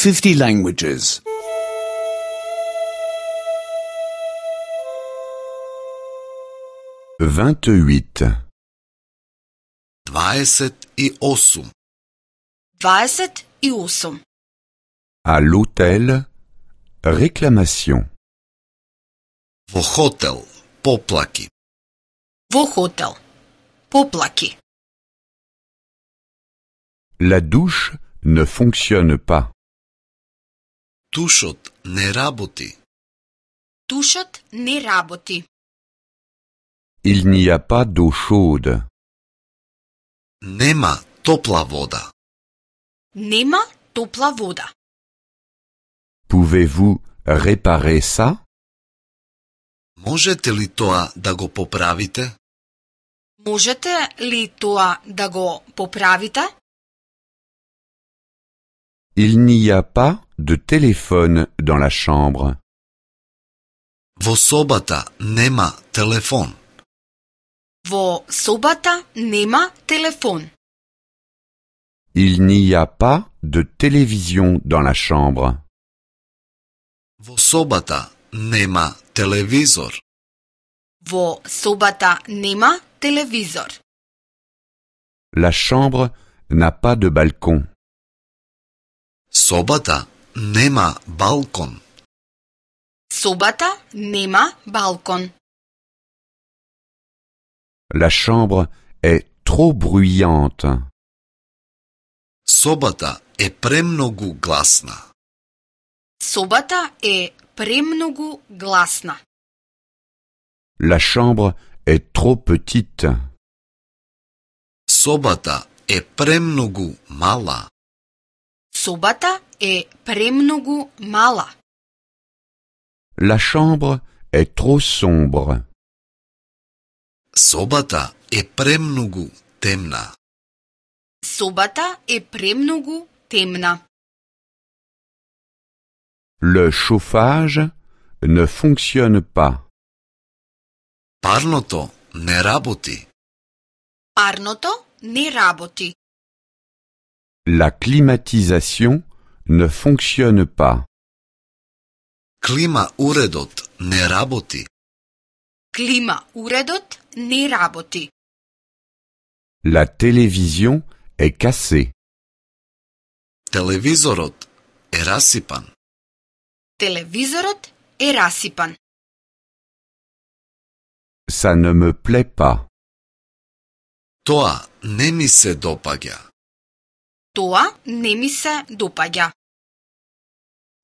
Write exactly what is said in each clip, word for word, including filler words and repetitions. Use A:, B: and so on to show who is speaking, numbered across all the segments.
A: fifty languages.
B: vingt-huit.
C: dvadeset i osam.
D: dvadeset i osam.
B: À l'hôtel, réclamation.
C: Во хотел, поплаки.
D: Во хотел. Поплаки.
B: La douche ne fonctionne pas.
C: Тушот не работи.
D: Тушот не работи.
B: Il n'y a pas d'eau chaude.
C: Нема топла вода.
D: Нема топла вода.
B: Pouvez-vous réparer ça?
C: Можете ли тоа да го поправите?
D: Можете ли тоа да го поправите?
B: Il n'y a pas de téléphone dans la chambre.
C: Во собата нема телефон.
D: Во собата нема телефон.
B: Il n'y a pas de télévision dans la chambre.
C: Во собата нема телевизор.
D: Во собата нема телевизор.
B: La chambre n'a pas de balcon.
C: Собата нема балкон.
D: Собата нема балкон.
B: La chambre est trop bruyante.
C: Собата е премногу гласна.
D: Собата е премногу гласна.
B: La chambre est trop petite.
C: Собата е премногу мала.
D: Собата е премногу мала.
B: La chambre est trop sombre.
C: Собата е премногу темна.
D: Собата е премногу темна.
B: Le chauffage ne fonctionne pas.
C: Парното не работи.
D: Парното не работи.
B: La climatisation ne fonctionne pas.
C: Клима уредот не работи.
D: Клима уредот не работи.
B: La télévision est cassée.
C: Телевизорот е расипан.
D: Телевизорот е расипан.
B: Ça ne me plaît pas.
C: Тоа не ми се допаѓа.
D: Тоа не ми се допаѓа.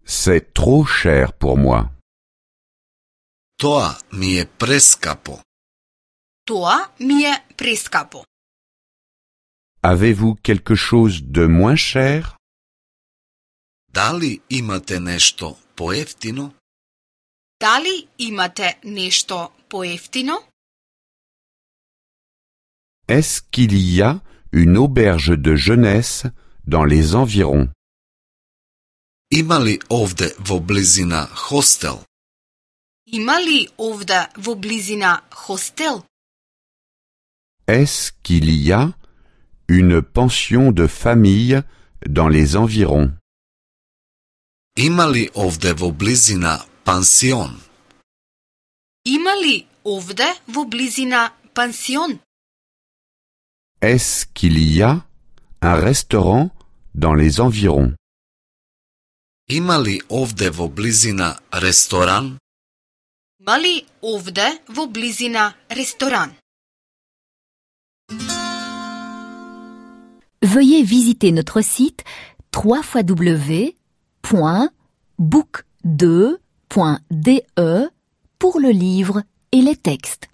B: C'est trop cher pour moi.
C: Тоа ми е прескапо.
D: Тоа ми е прескапо.
B: Avez-vous quelque chose de moins cher?
C: Дали имате нешто поевтино?
D: Дали имате нешто поевтино?
B: Est-ce qu'il y a une auberge de jeunesse dans les environs?
C: Има ли овде во близина хостел?
D: Има ли овде во близина хостел?
B: Est-ce qu'il y a une pension de famille dans les environs?
C: Има ли овде во близина пансион?
D: Има ли овде во близина пансион?
B: Est-ce qu'il y a un restaurant dans les environs?
C: Има ли овде во близина ресторан?
D: Има ли овде во близина ресторан?
E: Veuillez visiter notre site w w w point book deux point d e pour le livre et les textes.